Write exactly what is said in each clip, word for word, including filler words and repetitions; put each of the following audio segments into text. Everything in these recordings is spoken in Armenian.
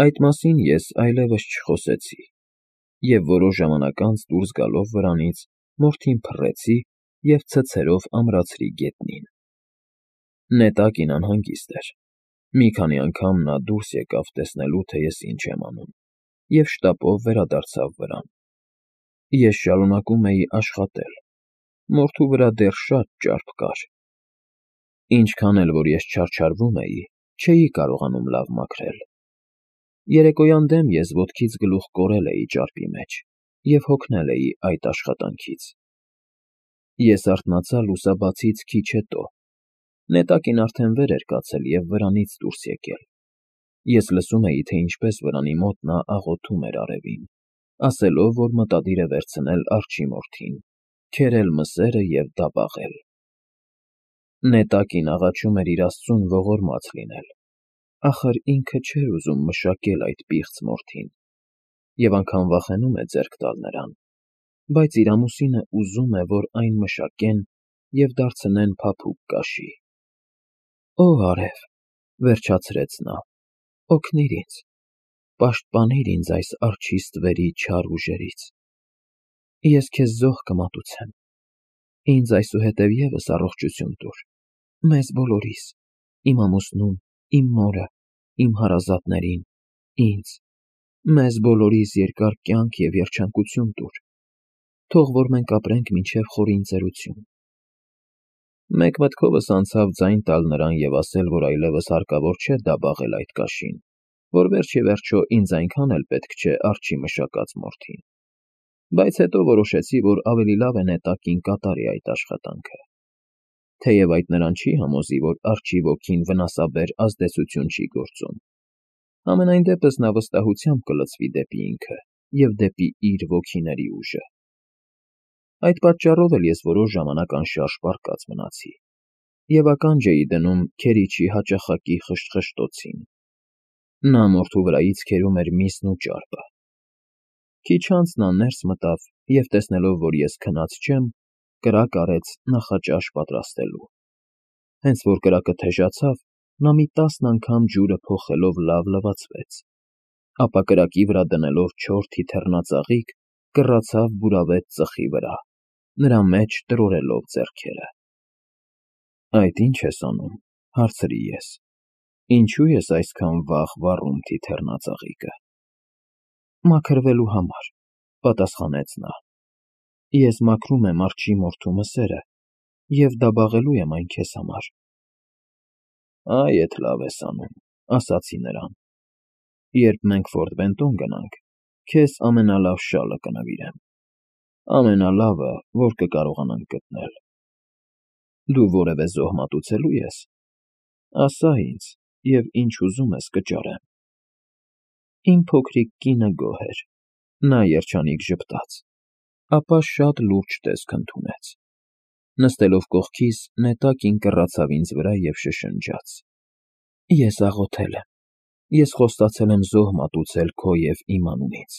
Այդ մասին ես այլևս չխոսեցի և որոշ ժամանակ անց դուրս գալով վրանից մորթին փռեցի և ցցերով ամրացրի գետնին։ Նետակին անհանգիստ էր։ Մի քանի անգամ նա դուրս եկավ տեսնելու, թե ես ինչ եմ անում, և շտապով վերադարձավ վրան։ Ես շարունակում էի աշխատել, մորթու վրա դեռ շատ ճարպ կար։ Ինչքան էլ որ ես չարչարվում էի, չէի կարողանում լավ մաքրել։ Երեկոյան դեմ ես ոտքից գլուխ կորել էի ճարպի մեջ և հոգնել էի այդ աշխատանքից։ Ես արթնացա լուսաբացից քիչ հետո։ Նետակին արդեն վեր էր կացել և վրանից դուրս եկել։ Ես լսում էի, թե ինչպես վրանի մոտ նա աղոթում էր արևին, ասելով, որ մտադիր է վերցնել արջի մորթին, քերել մսերը և դաբաղել։ Նետակին աղաչում էր իր աստծուն ողորմած լինել, ախր ինքը չէր ուզում մշակել այդ պիղծ մորթին և անգամ վախենում է ձեռք տալ նրան, բայց իր ամուսինը ուզում է, որ այն մշակեն և դարձնեն փափուկ կաշի։ «Ո՛վ արև,֊ վերջացրեց նա,֊ օգնիր ինձ, պաշտպանիր ինձ այս արջի ստվերի չար ուժերից։ Ես քեզ զոհ կմատուցեմ, ինձ այսուհետև ևս առողջություն տուր, մեզ բոլորիս, իմ ամուսնուն, իմ մորը, իմ հարազատներին, ինձ, մեզ բոլորիս երկար կյանք և երջանկություն տուր, թող որ մենք ապրենք մինչև խորին ծերություն»։ Մեկ մտքովս անցավ ձայն տալ նրան և ասել, որ այլևս հարկավոր չէ դաբաղել այդ կաշին, որ վերջ ի վերջո ինձ այնքան էլ պետք չէ արջի մշակած մորթին, բայց հետո որոշեցի, որ ավելի լավ է նետակին կատարի այդ աշխատանքը։ Թեև այդ նրան չի համոզի, որ արջի ոգին վնասաբեր ազդեցություն չի գործում, համենայն դեպս նա վստահությամբ կլցվի դեպի ինքը և դեպի իր ոգիների ուժը։ Այդ պատճառով էլ ես որոշ ժամանակ անշարժ պառկած մնացի և ականջ էի դնում քերիչի հաճախակի խշշտոցին։ Նա մորթու վրայից քերում էր միսն ու ճարպը։ Քիչ անց նա ներս մտավ և, տեսնելով, որ ես քնած չեմ, կրակ արեց նախաճաշ պատրաստելու։ Հենց որ կրակը թեժացավ, նա մի տասն անգամ ջուրը փոխելով լավ լվացվեց, ապա կրակի վրա դնելով չոր թիթեռնածաղիկ, կռացավ բուրավետ ծխի վրա, նրա մեջ տրորելով ձեռքերը։ «Այդ ի՞նչ ես անում,֊ հարցրի ես,֊ ինչո՞ւ ես այսքան վաղ վառում թիթեռնածաղիկը»։ «Մաքրվելու համար,֊ պատասխանեց նա։ Ես մաքրում եմ արջի մորթու մսերը և դաբաղելու եմ այն քեզ համար»։ «Այ էդ լավ ես անում,֊ ասացի նրան։ Երբ մենք Ֆորտ Բենտոն գնանք, քեզ ամենալավ շալը կնվիրեմ, ամենալավը, որ կկարողանանք գտնել։ Դու որևէ զոհ մատուցելո՞ւ ես, ասա ինձ, և ինչ ուզում ես կճարեմ»։ Իմ փոքրիկ կինը գոհ էր, նա երջանիկ ժպտաց, ապա շատ լուրջ տեսք ընդունեց։ Նստելով կողքիս, նետակին կռացավ ինձ վրա և շշնջաց. «Ես աղոթել եմ, ես խոստացել եմ զոհ մատուցել քո և իմ անունից։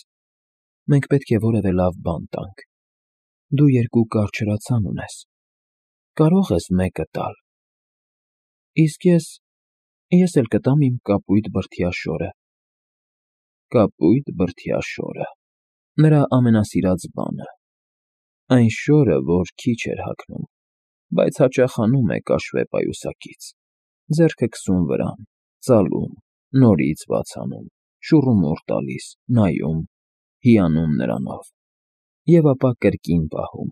Մենք պետք է որևէ լավ բան տանք։ Դու երկու կարճրացան ունես, կարո՞ղ ես մեկը տալ»։ «Իսկ ես… ես էլ կտամ իմ կապույտ բրդյա շորը»։ Կապույտ բրդյա շորը… նրա ամենասիրած բանը։ Այն շորը, որ քիչ էր հագնում, բայց հաճախ հանում է կաշվե պայուսակից, ձեռքը քսում վրան, ծալում, նորից բաց անում, շուռումուռ տալիս, նայում, հիանում նրանով, և ապա կրկին պահում։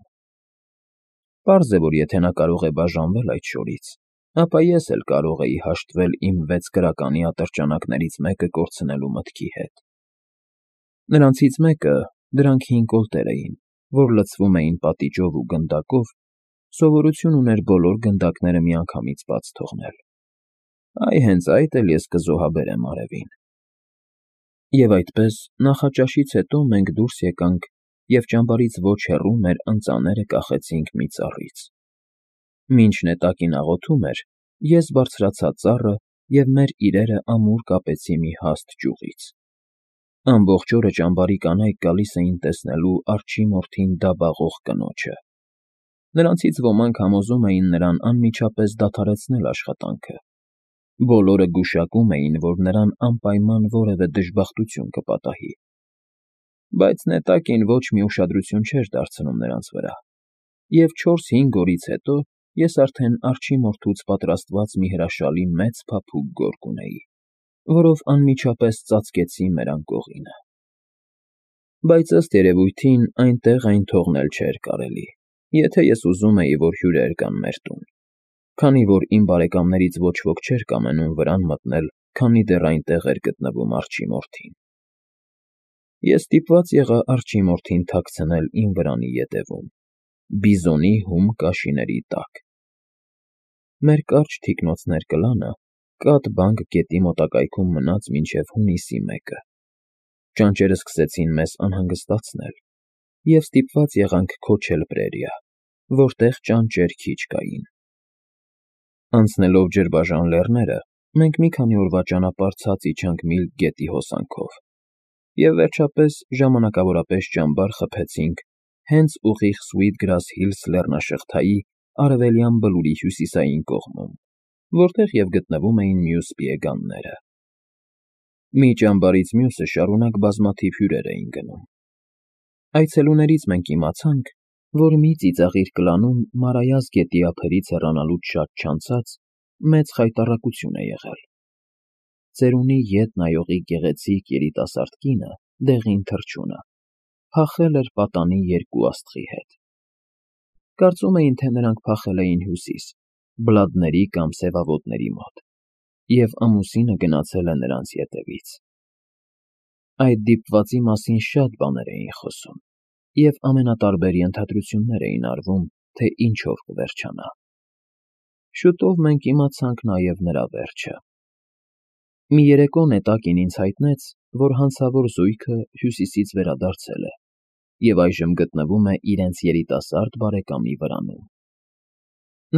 Պարզ է, որ եթե նա կարող է բաժանվել այդ շորից, ապա ես էլ կարող էի հաշտվել իմ վեց կրականի ատրճանակներից մեկը կորցնելու մտքի հետ։ Նրանցից մեկը, դրանք հին կոլտեր էին, որ լցվում էին պատիճով ու գնդակով, սովորություն ուներ բոլոր գնդակները միանգամից բաց թողնել։ Այ հենց այդ էլ ես կզոհաբերեմ արևին։ Եվ այդպես, նախաճաշից հետո մենք դուրս եկանք և ճամբարից ոչ հեռու մեր ընծաները կախեցինք մի ծառից։ Մինչ նետակին աղոթում էր, ես բարձրացա ծառը և մեր իրերը ամուր կապեցի մի հաստ ճյուղից։ Ամբողջ օրը ճամբարի կանայք գալիս էին տեսնելու արջի մորթին դաբաղող կնոջը։ Նրանցից ոմանք համոզում էին նրան անմիջապես դադարեցնել աշխատանքը, Բոլորը գուշակում էին, որ նրան անպայման որևէ դժբախտություն կպատահի։ Բայց նետակին ոչ մի ուշադրություն չէր դարձնում նրանց վրա, և չորս֊հինգ օրից հետո ես արդեն արջի մորթուց պատրաստված մի հրաշալի մեծ փափուկ գորգ ունեի, որով անմիջապես ծածկեցի մեր անկողինը։ Բայց ըստ երևույթին այնտեղ այն թողնել չէր կարելի, եթե ես ուզում էի, որ հյուրեր գան մեր տուն, քանի որ իմ բարեկամներից ոչ ոք չէր կամենում վրան մտնել, քանի դեռ այնտեղ էր գտնվում արջի մորթին։ Ես ստիպված եղա արջի մորթին թաքցնել իմ վրանի ետևում, բիզոնի հում կաշիների տակ։ Մեր կարճ թիկնոց ներկլանը կատ֊բանկ գետի մոտակայքում մնաց մինչև հունիսի մեկը։ Ճանճերը սկսեցին մեզ անհանգստացնել, և ստիպված եղանք քոչել Պրերիա, որտեղ ճանճեր քիչ կային։ Անցնելով ջրբաժան լեռները, մենք մի քանի օրվա ճանապարհ ցած իջանք Միլք գետի հոսանքով, և վերջապես ժամանակավորապես ճամբար խփեցինք հենց ուղիղ Sweetgrass Hills լեռնաշղթայի արևելյան բլուրի հյուսիսային կողմում, որտեղ և գտնվում էին մյուս պիեգանները։ Մի ճամբարից մյուսը շարունակ բազմաթիվ հյուրեր էին գնում։ Այցելուներից մենք իմացանք, որ մի ծիծաղիր կլանում Մարայას գետի ափերից հեռանալուց շատ չանցած մեծ խայտառակություն է եղել։ Ծերունի ետ նայողի գեղեցիկ երիտասարդ կինը՝ Դեղին Թռչունը, փախել էր պատանի երկու աստղի հետ։ Կարծում էին, թե նրանք փախել էին հյուսիս, Բլադների կամ Սևավոտների մոտ, և ամուսինը գնացել է նրանց ետևից։ Այդ դիպվածի մասին շատ բաներ էին խոսում, և ամենատարբեր ենթադրություններ էին արվում, թե ինչով կվերջանա։ Շուտով մենք իմացանք նաև նրա վերջը։ Մի երեկո նետակին ինձ հայտնեց, որ հանցավոր զույգը հյուսիսից վերադարձել է և այժմ գտնվում է իրենց երիտասարդ բարեկամի վրանում։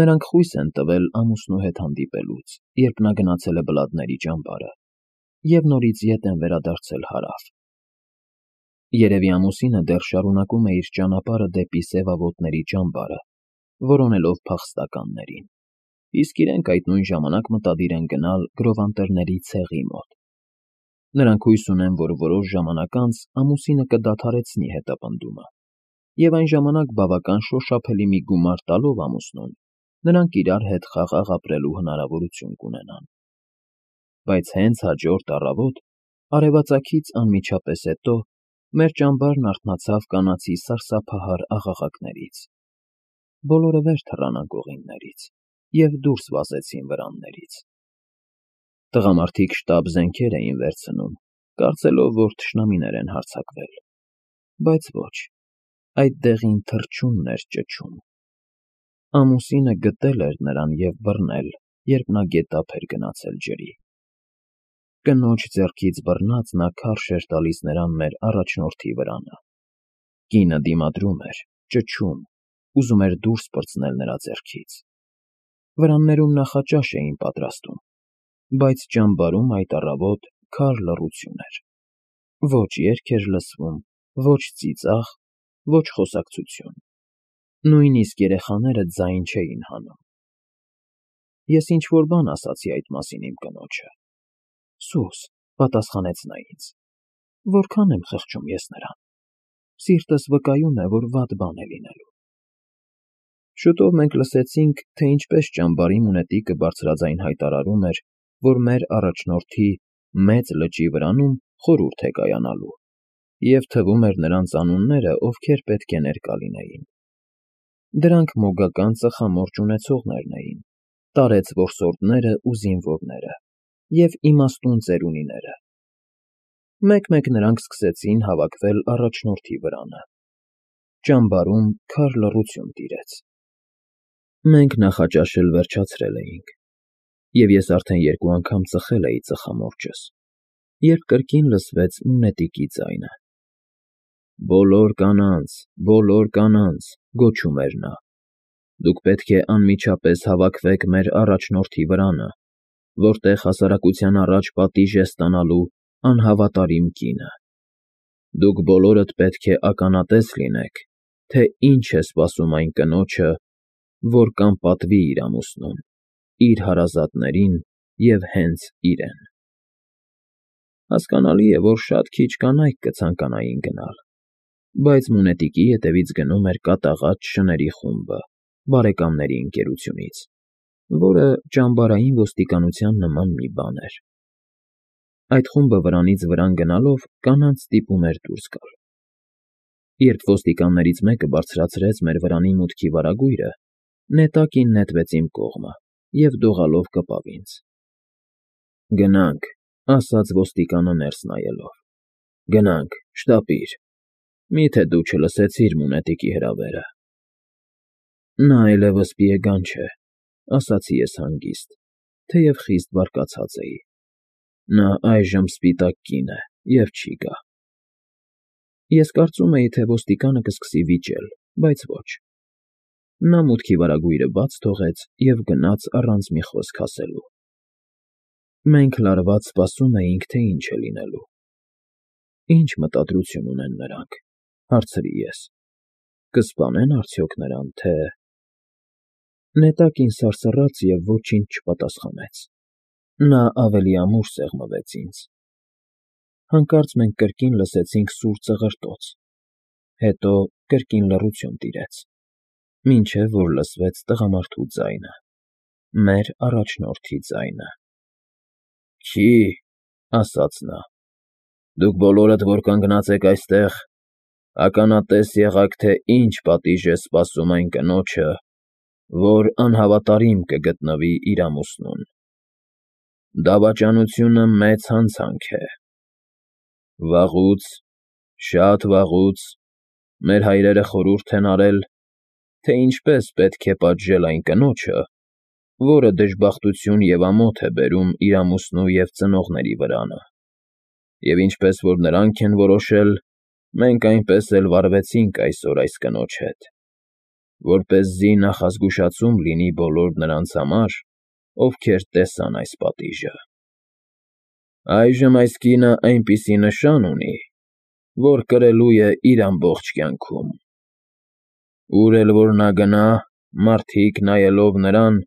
Նրանք խույս են տվել ամուսնու հետ հանդիպելուց, երբ նա գնացել է Բլադների ճամբարը, և նորից ետ են վերադարձել հարավ։ Երևի ամուսինը դեռ շարունակում է իր ճանապարհը դեպի Սևավոտների ճամբարը, որոնելով փախստականներին, իսկ իրենք այդ նույն ժամանակ մտադիր են գնալ Գրովանտերների ցեղի մոտ։ Նրանք հույս ունեն, որ որոշ ժամանակ անց ամուսինը կդադարեցնի հետապնդումը, և այն ժամանակ բավական շոշափելի մի գումար տալով ամուսնուն, նրանք իրար հետ խաղաղ ապրելու հնարավորություն կունենան։ Բայց հենց հաջորդ առավոտ, արևածագից անմիջապես հետո, մեր ճամբարն արթնացավ կանացի սարսափահար աղաղակներից։ Բոլորը վեր թռան անկողիններից և դուրս վազեցին վրաններից։ Տղամարդիկ շտապ զենքեր էին վերցնում, կարծելով, որ թշնամիներ են հարձակվել, բայց ոչ, այդ Դեղին Թռչունն էր ճչում։ Ամուսինը գտել էր նրան և բռնել, երբ նա գետափ էր գնացել ջրի։ Կնոջ ձեռքից բռնած նա քարշ էր տալիս նրան մեր առաջնորդի վրանը։ Կինը դիմադրում էր, ճչում, ուզում էր դուրս պրծնել նրա ձեռքից։ Վրաններում նախաճաշ էին պատրաստում, բայց ճամբարում այդ առավոտ քար լռություն էր։ Ոչ երգ էր լսվում, ոչ ծիծաղ, ոչ խոսակցություն։ Նույնիսկ երեխաները ձայն չէին հանում։ Ես ինչ֊որ բան ասացի այդ մասին իմ կնոջը։ Սուս, պատասխանեց նա ինձ, որքան եմ խղճում ես նրան։ Սիրտս վկայում է, որ վատ բան է լինելու։ Շուտով մենք լսեցինք, թե ինչպես ճամբարի մունետիկը բարձրաձայն հայտարարում էր, որ մեր առաջնորդի Մեծ Լճի վրանում խորհուրդ է կայանալու, և թվում էր նրանց անունները, ովքեր պետք է ներկա լինեին։ Դրանք մոգական ծխամորճ ունեցողներն էին, տարեց որսորդները ու զինվորները, և իմաստուն ծերունիները։ Մեկ֊մեկ նրանք սկսեցին հավաքվել առաջնորդի վրանը։ Ճամբարում քար լռություն տիրեց։ Մենք նախաճաշել վերջացրել էինք, և ես արդեն երկու անգամ ծխել էի ծխամորճս, երբ կրկին լսվեց մունետիկի ձայնը։ «Բոլոր կանանց, բոլոր կանանց», գոչում էր նա, «դուք պետք է անմիջապես հավաքվեք մեր առաջնորդի վրանը, որտեղ հասարակության առաջ պատիժ է ստանալու անհավատարիմ կինը։ Դուք բոլորդ պետք է ականատես լինեք, թե ինչ է սպասում այն կնոջը, որ կանպատվի իր ամուսնուն, իր հարազատներին և հենց իրեն։ Հասկանալի է, որ շատ քիչ կանայք կցանկանային գնալ, բայց մունետիկի ետևից գնում էր կատաղած շների խումբը բարեկամների ընկերությունից, որը ճամբարային ոստիկանության նման մի բան էր։ Այդ խումբը վրանից վրան գնալով կանանց ստիպում էր դուրս գալ։ Երբ ոստիկաններից մեկը բարձրացրեց մեր վրանի մուտքի վարագույրը, նետակին նետվեց իմ կողմը և դողալով կպավ ինձ։ «Գնանք», ասաց ոստիկանը ներս նայելով, «գնանք, շտապիր, մի՞թե դու չլսեցիր մունետիկի հրավերը»։ «Նա այլևս Պիեգան չէ», ասացի ես հանգիստ, թեև խիստ բարկացած էի։ «Նա այժմ սպիտակ կին է և չի գա»։ Ես կարծում էի, թե ոստիկանը կսկսի վիճել, բայց ոչ։ Նա մուտքի վարագույրը բաց թողեց և գնաց առանց մի խոսք ասելու։ Մենք լարված սպասում էինք, թե ինչ է լինելու։ «Ի՞նչ մտադրություն ունեն նրանք», հարցրի ես, «կսպանե՞ն արդյոք նրան, թե…»։ Նետակին սարսռաց և ոչինչ չպատասխանեց։ Նա ավելի ամուր սեղմվեց ինձ։ Հանկարծ մենք կրկին լսեցինք սուր ծղրտոց, հետո կրկին լռություն տիրեց, մինչև որ լսվեց տղամարդու ձայնը, մեր առաջնորդի ձայնը։ «Քի՛», ասաց նա, «դուք բոլորդ, որ կանգնած եք այստեղ, ականատես եղաք, թե ինչ պատիժ է սպասում այն կնոջը, որ անհավատարիմ կգտնվի իր ամուսնուն։ Դավաճանությունը մեծ հանցանք է։ Վաղուց, շատ վաղուց մեր հայրերը խորհուրդ են արել, թե ինչպես պետք է պատժել այն կնոջը, որը դժբախտություն և ամոթ է բերում իր ամուսնու և ծնողների վրանը, և ինչպես որ նրանք են որոշել, մենք այնպես էլ վարվեցինք այսօր այս կնոջ հետ, որպեսզի նախազգուշացում լինի բոլոր նրանց համար, ովքեր տեսան այս պատիժը։ Այժմ այս կինը այնպիսի նշան ունի, որ կրելու է իր ամբողջ կյանքում։ Ուր էլ որ նա գնա, մարդիկ, նայելով նրան,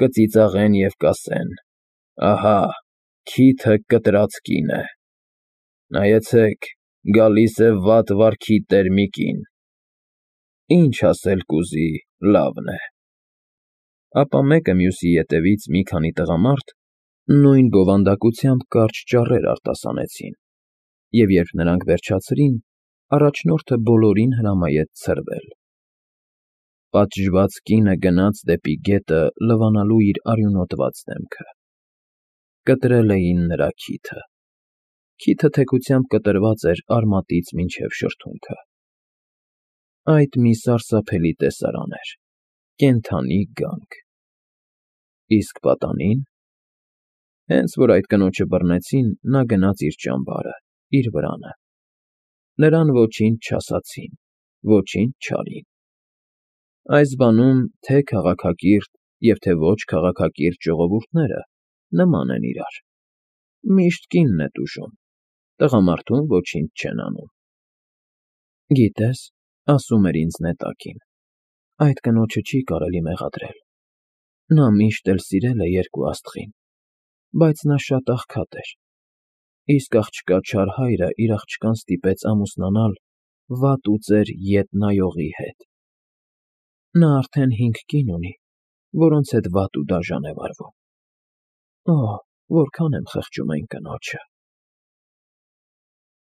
կծիծաղեն և կասեն. «Ահա, քիթը կտրած կին է։ Նայեցեք, գալիս է վատ վարքի տեր մի կին։ Ինչ ասել կուզի, լավն է»։ Ապա մեկը մյուսի ետևից մի քանի տղամարդ նույն բովանդակությամբ կարճ ճառեր արտասանեցին, և երբ նրանք վերջացրին, առաջնորդը բոլորին հրամայեց ցրվել։ Պատժված կինը գնաց դեպի գետը լվանալու իր արյունոտված դեմքը։ Կտրել էին նրա քիթը։ Քիթը թեքությամբ կտրված էր արմատից մինչև շրթունքը։ Այդ մի սարսափելի տեսարան էր, կենդանի գանք։ Իսկ պատանին… Հենց որ այդ կնոջը բռնեցին, նա գնաց իր ճամբարը, իր վրանը։ Նրան ոչինչ չասացին, ոչինչ չարին։ Այս բանում թե՛ քաղաքակիրթ և թե՛ ոչ քաղաքակիրթ ժողովուրդները նման են իրար. միշտ կինն է տուժում, տղամարդուն ոչինչ չեն անում։ «Գիտես,֊ ասում էր ինձ նետակին,֊ այդ կնոջը չի կարելի մեղադրել։ Նա միշտ էլ սիրել է երկու աստղին, բայց նա շատ աղքատ էր, իսկ աղջկա չար հայրը իր աղջկան ստիպեց ամուսնանալ վատ ու ծեր ետ նայողի հետ։ Նա արդեն հինգ կին ունի, որոնց հետ վատ ու դաժան է վարվում։ Օհ, որքան եմ խղճում այն կնոջը»։